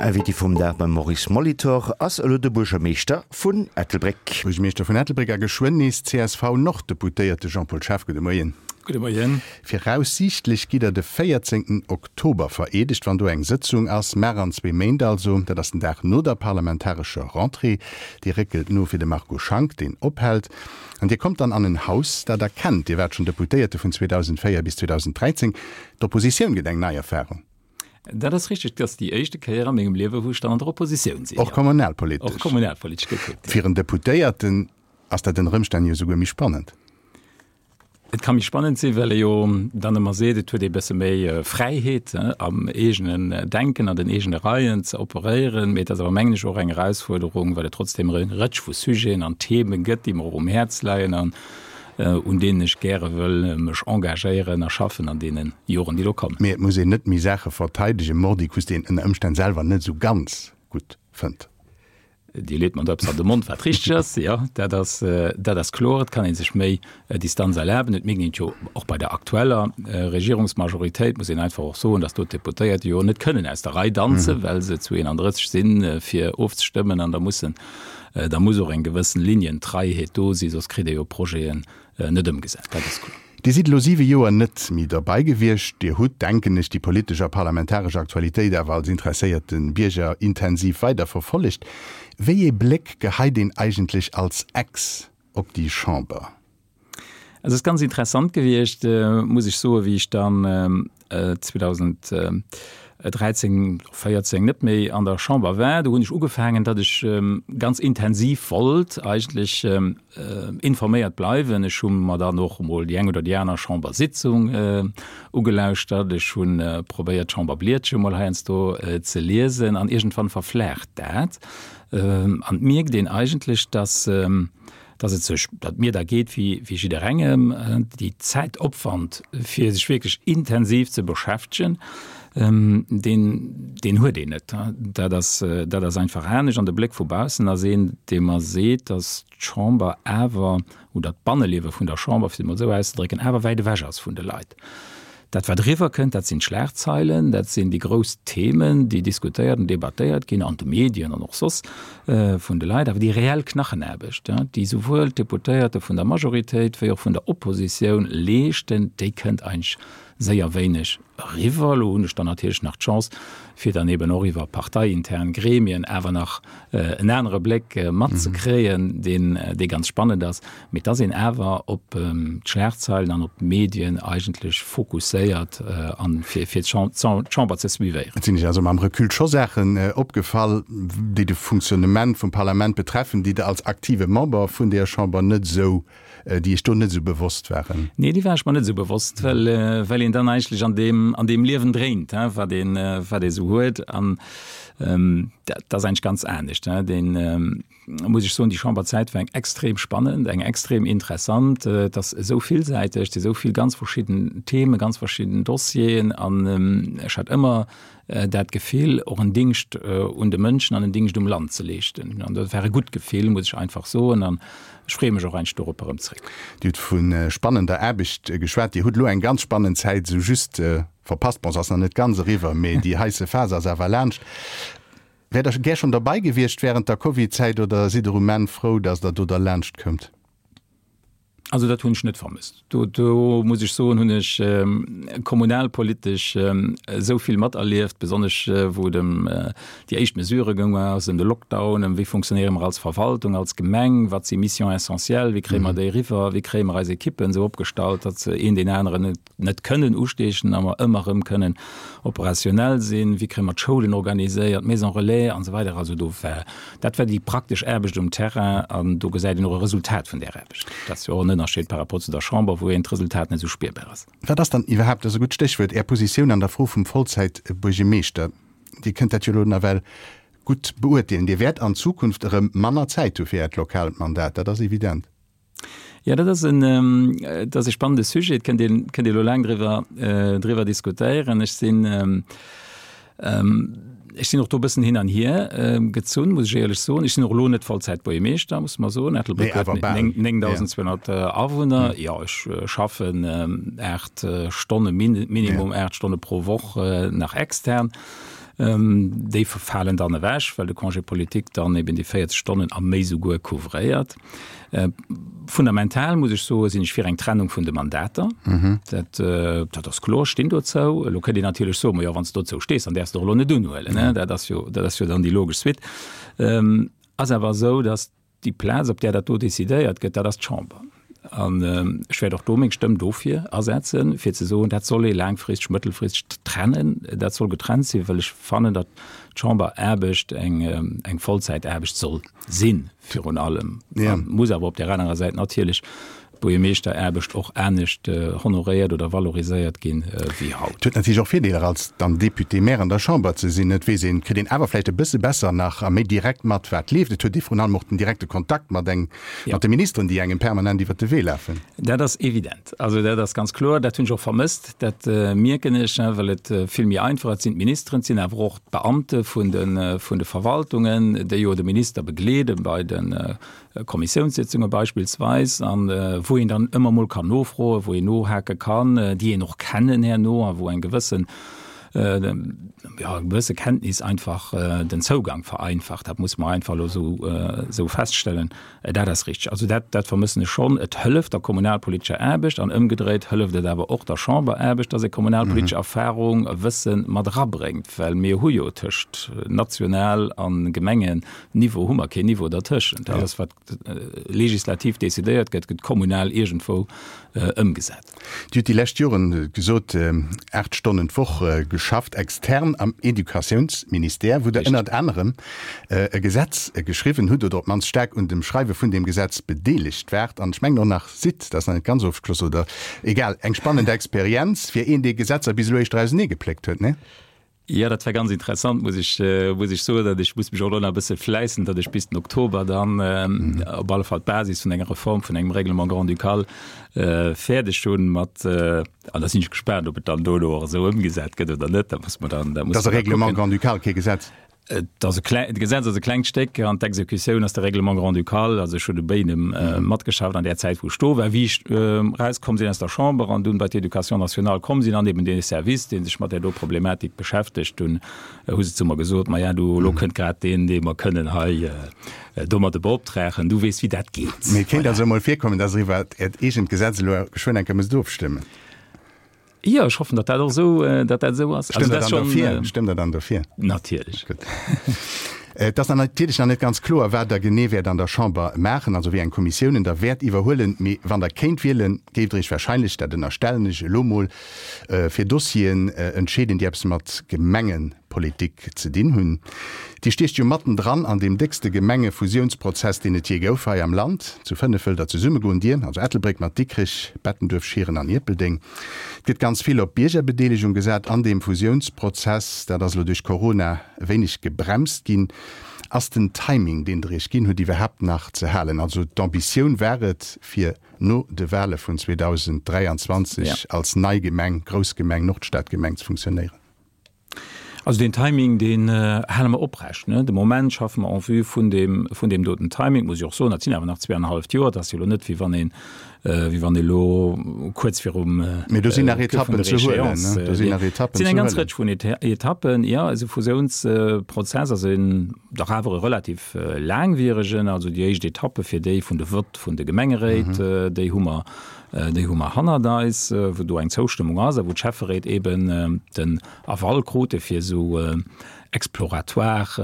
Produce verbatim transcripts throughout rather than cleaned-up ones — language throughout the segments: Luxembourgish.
Invité vum Dag beim Maurice Molitor ass elo de Buergermeeschter vun Ettelbréck. Buergermeeschter vun Ettelbréck a geschwënn nees C S V-Norddeputéierte Jean-Paul Schaaf, gudde Moien. Gudde Moien. Viraussiichtlech gitt Der de véierzéngten Oktober vereedegt, wann do eng Sëtzung ass, mar an zwee Méint also. Dat ass den Dag no der parlamentarescher Rentrée. Déi réckelt no fir de Marco Schank, deen ophält. An Dir kommt dann an en Haus, dat Der kennt. Dir waart schonn Deputéierte vun zweedausendvéier bis zweedausendräizéng. D'Oppositioun gëtt eng nei Erfarung. Dat ass richteg, dat ass déi éischte Kéier a mengem Liewe wou ech dann an der Oppositioun sinn. Och kommunalpolitesch. Och kommunalpolitesch gekuckt, jo. Fir en Deputéierten ass dat ënner Ëmstänn jo esouguer méi spannend. Et ka méi spannend sinn, well ee jo dann ëmmer seet, et huet ee bësse méi Fräiheet am eegenen Denken, an den eegene Reien ze operéieren. Mee et ass awer, mengen ech, och eng Erausfuerderung, well et trotzdem e Rëtsch vu Sujeten an Theme gëtt, déi mer och um Häerz leien an un deenen ech gäre wëll mech engagéieren a schaffen an deene Joren, déi do kommen. Mee et muss een net méi Saache verteidegen, mordicus, déi een ënner Ëmstänn selwer net esou ganz gutt fënnt. Dir leet mer do eppes an de Mond, wat richteg ass. Jo, dat ass, dat ass kloer. Et kann ee sech méi Distanz erlaben. Et mierkt een et jo och bei der aktueller Regierungsmajoritéit, muss een einfach och soen, datt do d'Deputéierte jo net kënnen aus der Rei danzen, well se zu eenanddrësseg sinn, fir ofzestëmmen an da mussen Da muss och eng gewëssen Linientreiheet do sinn, soss kritt ee jo Projeten net ëmgesat. Dat ass kloer. Dir sidd elo siwe Joer net méi derbei gewiescht. Dir hutt, denken ech, déi politesch a parlamentaresch Aktualitéit awer als interesséierte Bierger intensiv weider verfollegt. Wéi ee Bléck geheit een eigentlech als Ex op déi Chamber? Et ass ganz interessant gewiescht, muss ech soen, wéi ech dann zweedausend dräizéng, véierzéng net méi an der Chamber war. Do hunn ech ugefaangen, datt ech ganz intensiv wollt eigentlech informéiert bleiwen. Ech hu mer dann och emol déi eng oder déi aner Chambersitzung ugelauschtert. Ech hu probéiert, d'Chamberblietche mol heiansdo ze liesen. An iergendwann verflaacht dat an et mierkt een eigentlech, datt dass et sech, datt mir da geet wéi wéi jidderengem, déi Zäitopwand fir sech wierklech intensiv ze beschäftegen, deen deen huet een net. Dat ass dat ass einfach anescht. An de Bléck vu baussen ass een, dee mer seet, dass d'Chamber awer, oder d'Banneliewe vun der Chamber, fir et emol esou auszedrécken, awer wäit ewech ass vun de Leit. Dat wat eriwwer kënnt, dat sinn d'Schlagzeilen, dat sinn déi grouss Themen, déi diskutéiert an debattéiert ginn an de Medien an och soss vun de Leit. Awer déi reell Knachenaarbecht, déi souwuel d'Deputéierte vun der Majoritéit wéi och vun der Oppositioun leeschten, déi kënnt eigentlech séier wéineg eriwwer. Elo hunn ech dann natierlech nach d'Chance, fir dann eben och iwwer parteiintern Gremien awer nach en anere Bléck matzekréien, deen, dee ganz spannend ass. Mee et ass een awer op d'Schlagzeilen an op d'Medien eigentlech fokusséiert an fir, fir d'Chamber ze suivéieren. Et sinn Iech also mam Recul scho Saachen opgefall, déi de Fonctionnement vum Parlament betreffen, déi Der als aktive Member vun deeër Chamber net esou déi Iech do net esou bewosst waren? Nee, déi war ech mer net esou bewosst, well, well een dann eigentlech an deem, an deem Liewen dréint, wat een, wat ee sou huet. An dat ass eigentlech ganz anescht. Deen, muss ech soen, déi Chamberzäit war eng extrem spannend, eng extrem interessant. Et ass esou villsäiteg, et si esou vill ganz verschidden Themen, ganz verschidden Dossieren. An ech hat ëmmer dat Gefill, och en Dingscht un de Mënschen an en Dingscht um Land ze leeschten. An dat war e gutt Gefill, muss ech einfach soen. An ech freeë mech och eigentlech dorop erëm zréck. Dir hutt vu spannender Aarbecht geschwat. Dir hutt elo eng ganz spannend Zäit esou just verpasst. Bon, se ass nach net ganz eriwwer, mee déi heisse Phas ass awer laanscht. Wäert Der gär schonn derbei gewiescht wärend der Covid-Zäit oder sidd Der um Enn frou, datt Der do derlaanscht koumt? Also dat hunn ech net vermësst. Do, do muss ech soen, hunn ech kommunalpolitesch esou vill materlieft, besonnesch wou et ëm déi éischt Mesurë goung ass, ëm de Lockdown, ëm wéi funktionéiere mer als Verwaltung, als Gemeng, wat si Missions essentielles, wéi kréie mer déi eriwwer, wéi kréie mer eis Ekippen esou opgestallt, datt se een deen aneren net net kënnen usteechen a mer ëmmer erëm kënnen operationell sinn, wéi kréie mer d'Schoulen organiséiert, d'Maisons relais an esou weider. Also do war, dat war déi praktesch Aarbecht um Terrain an do gesäit een och e Resultat vun där Aarbecht. Dat ass jo och en Ënnerscheed par rapport zu der Chamber, wou een d'Resultat net esou spierbar ass. Wat ass dann iwwerhaapt, dat ass e gutt Stéchwuert, Är Positioun an der Fro vum Vollzäitbuergemeeschter? Dir kënnt dat jo elo nawell gutt beurteelen. Dir wäert an Zukunft erëm manner Zäit hu fir Äert lokaalt Mandat, dat ass evident. Jo, dat ass en, dat ass e spannende Sujet. Et kënnt een, kënnt ee elo laang driwwer, driwwer diskutéieren. Ech sinn, ech sinn och do e bëssen hin an hier gezunn, muss ech éierlech soen. Ech sinn och elo net Vollzäitbuergermeeschter, muss mer soen. Ettelbréck huet néngdausend zweehonnert Awunner. Jo, ech schaffen aacht Stonne, minimum aacht Stonne pro Woch nach extern. Déi falen dann ewech, well de Congé politique dann eben déi véierzeg Stonnen a méi souguer couvréiert. Fundamental, muss ech soen, sinn ech fir eng Trennung vun de Mandater. Dat, dat ass kloer, ech stinn dozou. Elo kënnt een natierlech soen, Ma jo, wann s de dozou stees, dann däerfs de och elo net unhuelen. Dat ass jo, dat ass jo dann déi logesch Suite. Ass awer esou, datt déi Plaz, op där dat do decidéiert gëtt, dat ass d'Chamber. An ech wäert och do meng Stëmm dofir asetzen, fir ze soen, dat soll ee laangfristeg, mëttelfristeg trennen, dat soll getrennt sinn, well ech fannen, datt d'Chamberaarbecht eng, eng Vollzäitaarbecht soll sinn, virun allem. A muss awer op där anerer Säit natierlech d'Buergermeeschteraarbecht och anescht honoréiert oder valoriséiert ginn wéi haut. Et huet natierlech och Virdeeler als dann Député-maire an der Chamber ze sinn. Et weess een, kritt een awer vläicht e bësse besser nach a méi direkt mat wat leeft. Et huet ee vrun allem och den direkte Kontakt mat eng, mat de Ministeren, déi engem permanent iwwert de Wee lafen. Dat ass evident. Also dat ass ganz kloer. Dat hunn ech och vermësst. Dat mierken ech, well et vill méi einfach, et sinn d'Ministeren, et sinn awer och d'Beamte vun de, vun de Verwaltungen, déi jo de Minister begleede bei de Kommissiounssitzunge beispillsweis, an wou een dann ëmmer mol kann nofroen, wou een nohake kann, déi een och kennen herno a wou eng gewëssen, jo, eng gewësse Kenntnis einfach den Zougang vereinfacht. Dat muss mer einfach elo esou, esou feststellen. Dat ass richteg. Also dat, dat vermëssen ech schonn. Et hëlleft der kommunalpolitescher Aarbecht an ëmgedréit hëlleft et awer och der Chamberaarbecht, dass ee kommunalpolitesch Erfahrung, Wësse mat erabréngt, well mir hu jo tëscht national a Gemengenniveau hu mer keen Niveau dertëschent. Alles wat legislativ decidéiert gëtt, gëtt kommunal iergendwou ëmgesat. Dir hutt déi lescht Joren gesot, aacht Stonnen d'Woch geschafft, extern am Educatiounsministère, wou Der ënnert anerem e Gesetz geschriwwen hutt oder op d'mannst staark un dem Schreiwe vun deem Gesetz bedeelegt waart an ech mengen och nach sidd, dat ass nach net ganz ofgeschloss oder egal, eng spannend Experienz fir een, dee Gesetzer bis elo éischter auseneegepléckt huet, nee? Jo, dat war ganz interessant, muss ech, muss ech soen. Ech muss mech och elo nach e bësse fläissen, datt ech bis den Oktober dann op alle Fall d'Basis vun enger Reform vun engem Règlement grand-ducal fäerdeg hunn mat, an da sinn ech gespaant, ob et dann dono och esou ëmgesat gëtt oder net. Dat muss mer dann, dat muss mer da kucken. Dat ass e Règlement grand-ducal, kee Gesetz? Et ass e kleng, d'Gesetz ass e klengt Stéck an d'Exekutioun ass de Règlement grand-ducal. Also ech hunn u béidem matgeschafft an där Zäit, wou ech do war, wéi ech erauskomm sinn aus der Chamber an dunn bei d'Éducation nationale komm sinn an eben dee Service, dee sech mat där do Problematik beschäftegt, dunn hu se zu mer gesot, Maja, du, elo kënnt grad deen, dee mer kënnen hei domadde beoptragen, du weess, wéi dat geet. Mee et kéint also emol virkommen, dass Der iwwer Äert eegent Gesetz elo geschwënn eng Kéier musst ofstëmmen. Jo, ech hoffen, datt dat och esou, datt dat esou ass. Stëmmt Der dann dofir? Stëmmt Der dann dofir? Natierlech. Gutt. Et ass nach natierlech nach net ganz kloer, wat Der genee wäert an der Chamber maachen, also wéi eng Kommissiounen Der wäert iwwerhuelen. Mee wann Der kéint wielen, géift Der Iech wahrscheinlech, dat ënnerstellen ech elo mol, fir Dossieren entscheeden, déi eppes mat Gemengepolitik ze dinn hunn. Dir stiecht jo matten dran an deem déckste Gemengefusiounsprozess, deen et jee gouf hei am Land. Zu fënnef wëllt Der zesummegoen, Dir, also Ettelbréck mat Dikrech, Bettenduerf, Schieren an Ierpeldeng. Et gëtt ganz vill op Biergerbedeelegung gesat an deem Fusiounsprozess. Dat ass elo duerch Corona e wéineg gebremst ginn. Ass den Timing, deen Der Iech ginn hutt, iwwerhaapt nach ze halen? Also d'Ambitioun war et, fir no de Wale vun zweedausend dräianzwanzeg als nei Gemeng, grouss Gemeng, Nordstadgemeng ze funktionéieren. Also deen Timing, deen hale mer oprecht. De Moment schaffe mer en vue vun deem, vun deem doten Timing. Muss ech och soen, dat sinn awer nach zweeanenhalleft Joer. Dat ass jo elo net, wéi wann een, wéi wann ee elo kuerz virum, Mee do sinn nach Etappen ze huelen, ne? Do sinn nach Etappen ze huelen. Et sinn eng ganz Rëtsch vun Etappen, jo. Esou Fusiounsprozess ass een dach awer e relativ laangwieregen. Also déi éischt Etappe fir déi vun de Vott vun de Gemengeréit, déi hu mer, déi hu mer hannert eis, wou do eng Zoustëmmung ass a wou d'Schäfferéit eeben den Aval krute fir esou exploratoire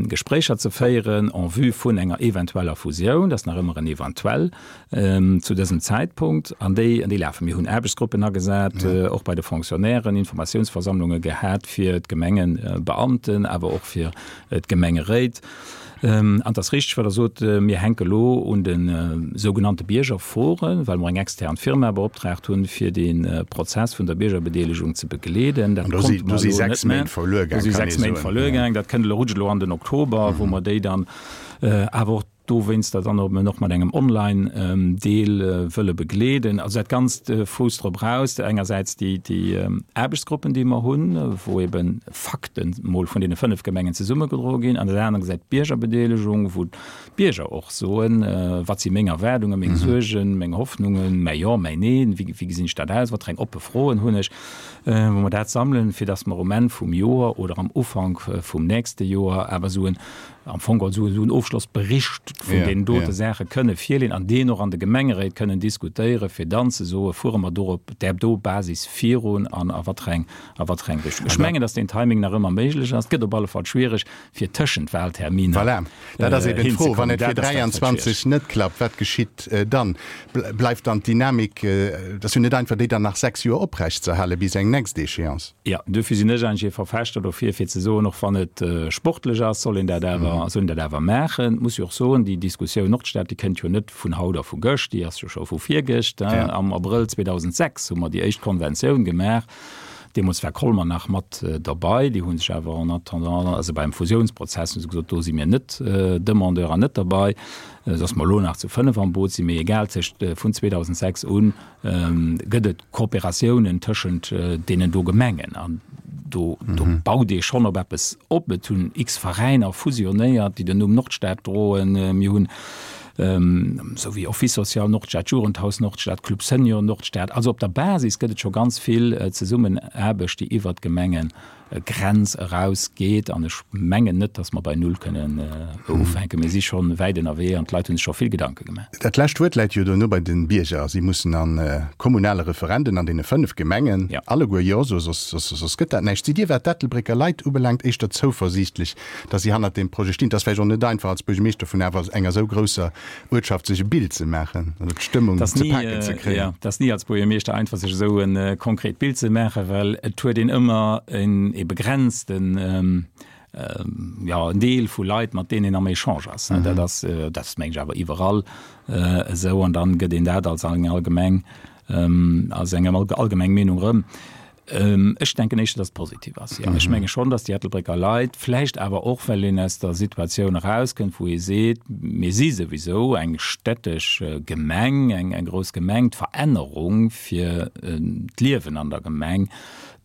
Gespréicher ze féieren en vue vun enger eventueller Fusioun. Dat ass nach ëmmer en eventuell zu dësem Zäitpunkt. An déi, an déi lafen. Mir hunn Aarbechtsgruppen agesat, och bei de Fonctionnairen, Informatiounsversammlunge gehat fir d'Gemengebeamten, awer och fir d'Gemengeréit. An et ass richteg, wat Der sot, mir hänke elo un de sougenannte Biergerforen, well mer eng extern Firma beoptraagt hunn, fir dee Prozess vun der Biergerbedeelegung ze begleeden. Dat konnte mer elo net méi. Do si sechs Méint verluer gaang. Dat kënnt elo, rutscht elo an den Oktober, wou mer déi dann awer och dowéinster dann och och mat engem Online-Deel wëlle begleeden. Also dat Ganzt fousst drop raus, engersäits déi déi Aarbechtsgruppen, déi mer hunn, wou ebe Fakten mol vun deene fënnef Gemengen zesummegedroe ginn, an der anerer Säit d'Biergerbedeelegung, wou d'Bierger och soen, wat si meng Erwaardungen, meng Suergen, meng Hoffnungen, mäi Jo, mäi Neen, wéi wéi gesinn ech dat aus, wat fir eng oppe Froen hunn ech, wou mer dat sammelen, fir datt mer um Enn vum Joer oder am Ufank vum nächste Joer awer esou en am Fong also esou en Ofschlossbericht vun yeah, deenen dote yeah. Saache kënne virleeën an deen och an de Gemengeréit kënnen diskutéieren, fir dann ze soe fuere mer do op där do Basis virun an a wat eng a wat eng Richtung. Ech mengen, datt deen Timing nach ëmmer méiglech ass. Et gëtt op alle Fall schwiereg fir tëschent Wahlterminer. Voilà. Dat ass eben d'Fro, wann et fir dräianzwanzeg net klappt, wat geschitt dann? Bleift dann d'Dynamik, dat ass jo net einfach, déi dann nach sechs Joer oprechtzeerhale bis eng nächst Échéance. Jo, duerfir sinn ech eigentlech ee Verfechter dofir, fir ze soen, och wann et sportlech ass, soll een dat awer, soll een dat awer maachen. Et muss jo och soen, déi Diskussioun Nordstad, déi kënnt jo net vun haut a vu gëscht, déi ass jo scho vu virgëscht. Am Abrëll zweedausendsechs hu mer déi éischt Konventioun gemaach. Deemools war Colmer nach mat derbei. Déi hu sech awer en attendant, also beim Fusiounsprozess hu se gesot, do si mir net Demandeur an net derbei, sodass mer elo nach zu fënnef am Boot sinn. Mee egal, tëscht vun zweedausendsechs un gëtt et Kooperatiounen tëschent deenen do Gemengen an do do baut ee schonn op eppes op. Et hunn x Veräiner fusionéiert, déi den Numm Nordstad droen. Mir hunn esou wéi Office social Nordstad, Jugendhaus Nordstad, Club Senior Nordstad. Also op der Basis gëtt et scho ganz vill Zesummenaarbecht, déi iwwert d'Gemenge Grenz eraus geet. An ech mengen net, datt mer bei Null kënnen ufänken. Mir si scho wäit ënnerwee an d'Leit hu sech scho vill Gedanke gemaach. Dat lescht Wuert läit jo dono bei de Bierger. Si mussen a kommunale Referenden an deene fënnef Gemengen alleguer Jo soen, soss, soss gëtt dat näischt. Sidd Dir, wat d'Ettelbrécker Leit ubelaangt, éischter zouversiichtlech, datt si hannert deem Projet stinn? Et ass vläicht och net einfach als Buergermeeschter vun awer enger esou grousser Uertschaft sech e Bild ze maachen oder d'Stëmmung ze paken ze kréien. Et ass ni als Buergermeeschter einfach sech esou e konkret Bild ze maachen, well et huet een ëmmer en e begrenzten, jo, en Deel vu Leit, mat deenen een am Echange ass. Dat ass, dat ass meng ech awer iwwerall esou an dann gëtt een dat als eng allgemeng, als eng allgemeng Meenung erëm. Ech denken éischter, datt et positiv ass, jo. Ech menge schonn, datt déi Ettelbrécker Leit, vläicht awer och, well een aus der Situatioun erauskënnt, wou ee seet, mir si souwisou eng städtesch Gemeng, eng grouss Gemeng, d'Verännerung fir d'Liewen an der Gemeng,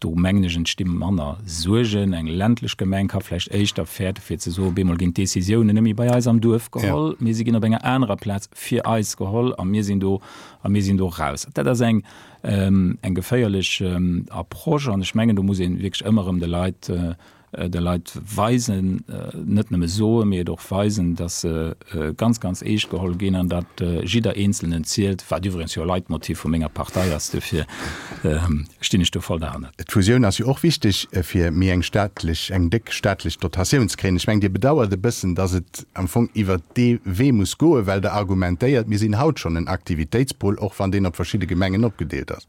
do mengen ech, entsti manner Suergen. Eng ländlech Gemeng ka vläicht éischter fäerte fir ze soen, op eemol ginn d'Décisiounen net méi bei eis am Duerf geholl, mee si ginn op enger anerer Plaz fir eis geholl a mir sinn do a mir sinn do raus. Dat ass eng eng geféierlech Approche an ech mengen, do muss ee wierklech ëmmer erëm de Leit, de Leit weisen, net nëmme soen, mee et och weisen, datt se ganz, ganz eescht geholl ginn an datt jidder Eenzelnen zielt, wat iwwregens jo e Leitmotiv vu menger Partei ass. Dofir stinn ech do voll derhannert. D'Fusioun ass jo och wichteg, fir méi eng staatlech, eng déck staatlech Dotatioun ze kréien. Ech mengen, Dir bedauert e bëssen, datt et am Fong iwwert dee Wee muss goen, well Der argumentéiert, mir sinn haut schonn en Aktivitéitspol, och wann deen op verschidde Gemengen opgedeelt ass.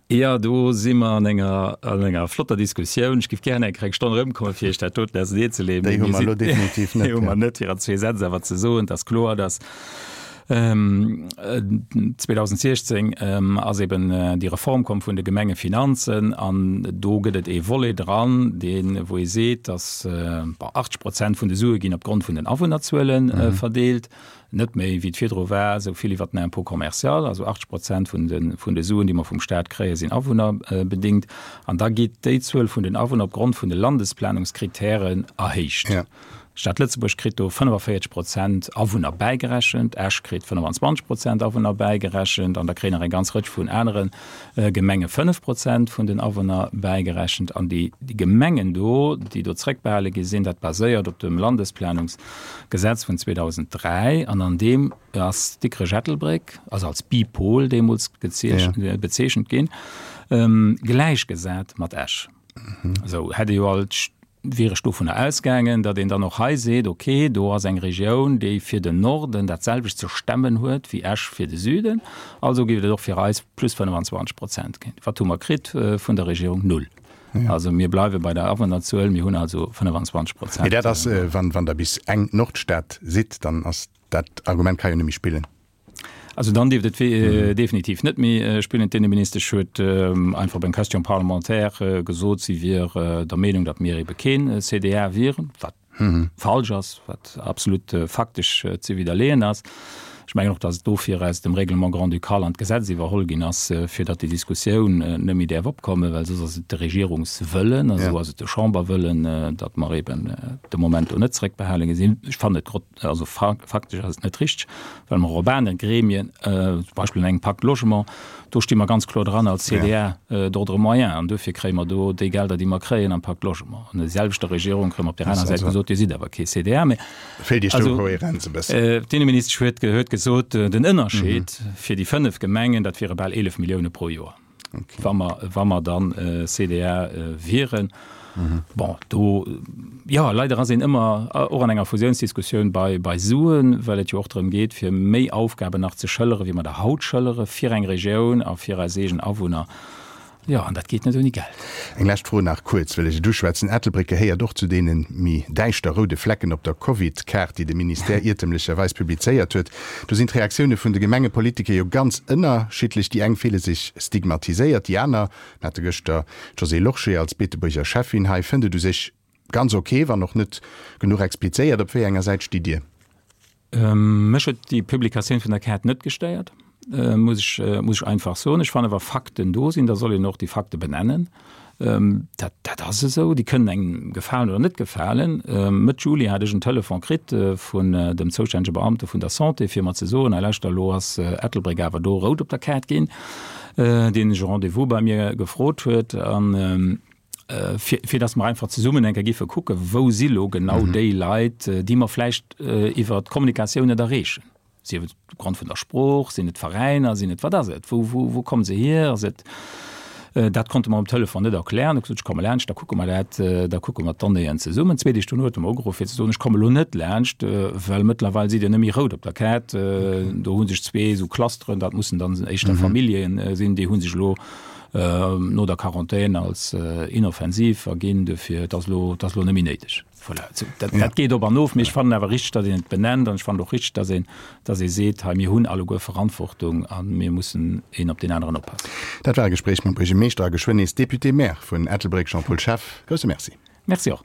Jo, do si mer an enger, an enger flotter Diskussioun. Ech géif gären eng kleng Stonn erëmkommen, fir Iech dat doten auserneenzeleeën. Déi hu mer elo definitiv net. Déi hu mer net, fir an zwee Sätz awer ze soen. Et ass kloer, dass zweedausendsechzéng ass eben déi Reform komm vun de Gemengefinanzen an do gëtt et ee Volet dran, deen, wou ee seet, dass, bon, achtzeg Prozent vun de Sue ginn opgrond vun den Awunnerzuele verdeelt, net méi wéi et virdru war, esou vill iwwert den Impôt commercial, also achtzeg Prozent vun de, vun de Suen, déi mer vum Stat kréien, sinn awunnerbedingt. An da geet déi Zuel vun den Awunner opgrond vun de Landesplanungskritären erhéicht. D'Stad Lëtzebuerg kritt do fënnefavéierzeg Prozent Awunner bäigerechent, Esch kritt fënnefenzwanzeg Prozent Awunner bäigerechent an da kréien nach eng ganz Rëtsch vun anere Gemenge fënnef Prozent vun den Awunner bäigerechent. An déi Gemengen do, déi do zréckbehale gi sinn, dat baséiert op dem Landesplanungsgesetz vun zweedausenddräi an an deem ass Dikrech-Ettelbréck, also als Bipol deemools bezeechent ginn, gläichgesat mat Esch. Esou hätt ee jo alt wier ech dovunner ausgaangen, datt een dann och hei seet, okay, do ass eng Regioun, déi fir den Norden dat selwecht ze stemmen huet wéi Esch fir de Süden, also géif et och fir eis plus fënnefenzwanzeg Prozent ginn. Wat hu mer kritt vun der Regierung? Null. Also mir bleiwe bei der Awunnerzuel, mir hunn also fënnefenzwanzeg Prozent. Mee dat ass, wann Der bis eng Nordstad sidd, dann ass dat Argument ka jo net méi spillen. Also dann dierft et definitiv net méi spillen. D'Inneministesch huet einfach op eng Question parlementaire gesot, si wier der Meenung, datt mir ebe keen C D A wieren, wat falsch ass, wat absolut faktesch ze widderleeën ass. Ech mengen och, datt et dofir aus dem Règlement grand-ducal an d'Gesetz iwwerholl ginn ass, fir datt déi Diskussioun net méi däerf opkommen, well soss ass et de Regierungswëllen a sou ass et de Chamberwëllen, datt mer eben de Moment do net zréckbehale gi sinn. Ech fannen et grot, also faktesch ass et net richteg, well mer och op anere Gremien, zum Beispill an engem Pacte Logement, do sti mer ganz kloer dran als CDA d'ordre moyen an dofir kréie mer do déi Gelder, déi mer kréien am Pacte Logement. An der selwechter Regierung kréie mer op där aner Säit gesot, Dir sidd awer kee CDA méi. Feelt Iech do d'Kohärenz e bëssen? D'Inneministesch huet huet gesot, den Ënnerscheed fir déi fënnef Gemengen, dat wiere bal eelef Millioune pro Joer, wa mer, wa mer dann C D A wieren. Bon, do, jo, leider ass een ëmmer och an enger Fusiounsdiskussioun bei, bei Suen, well et jo och drëm geet, fir méi Aufgaben nach ze schëllere wéi mer der haut schëllere fir eng Regioun a fir eis eegen Awunner. Jo, an dat geet net ouni Geld. Eng lescht Fro nach kuerz, wëll ech et uschwätzen, Ettelbréck gehéiert och zu deene méi däischter roude Flecken op der Covid-Kaart, déi de Ministère iertemlecherweis publizéiert huet. Do sinn d'Reaktioune vun de Gemengepolitiker jo ganz ënnerschiddlech. Déi eng fille sech stigmatiséiert, déi aner, mir hate gëschter d'Josée Lorsché als Beetebuerger Schäffin hei, fënnt et u sech ganz ok, wann och net genuch explizéiert. Op wéi enger Säit stitt Dir? Mech huet déi Publikatioun vun der Kaart net gestéiert, muss ech, muss ech einfach soen. Ech fannen, wa Fakten do sinn, da soll een och déi Fakte benennen. Dat, dat ass esou. Déi kënnen engem gefalen oder net gefalen. Mëtt Juli hat ech en Telefon kritt vun dem zoustännege Beamte vun der Santé, fir mer ze soen, Hei lauschter, elo ass Ettelbréck awer do rout op der Kaart ginn, deen e Rendez-vous bei mir gefrot huet. An fir, fir dass mer einfach zesummen eng Kéier giffe kucken, wou si lo genau déi Leit, déi mer vläicht iwwer d'Kommunikatioun net erreechen. Sief et opgrond vun der Sprooch, sinn et Veräiner, sinn et, wat ass et, wou, wou, wou komme se hier, ass et, dat konnte mer um Telefon net erklären. Hu gesot, ech komme laanscht, da kucke mer dat, da kucke mer d'Donnéeën zesummen. Zwee Deeg dono huet e mer ugeruff fir ze soen, ech komme lo net laanscht, well mëttlerweil sidd Dir net méi rout op der Kaart. Do hu sech zwee esou Clusteren, dat mussen dann éischter Famillje sinn, déi hu sech elo no der Quarantän als inoffensiv erginn, dofir et ass elo, et ass elo net méi néideg. Voilà, dat, dat geet op an of, mee ech fannen awer richteg, datt een et benennt an ech fannen och richteg, datt een, datt ee seet, hei mir hunn alleguer Verantwortung a mir mussen een op deen aneren oppassen. Dat war e Gespréich mam Buergermeeschter a geschwënn nees Député-maire vun Ettelbréck Jean-Paul Schaaf. Grousse Merci. Merci och.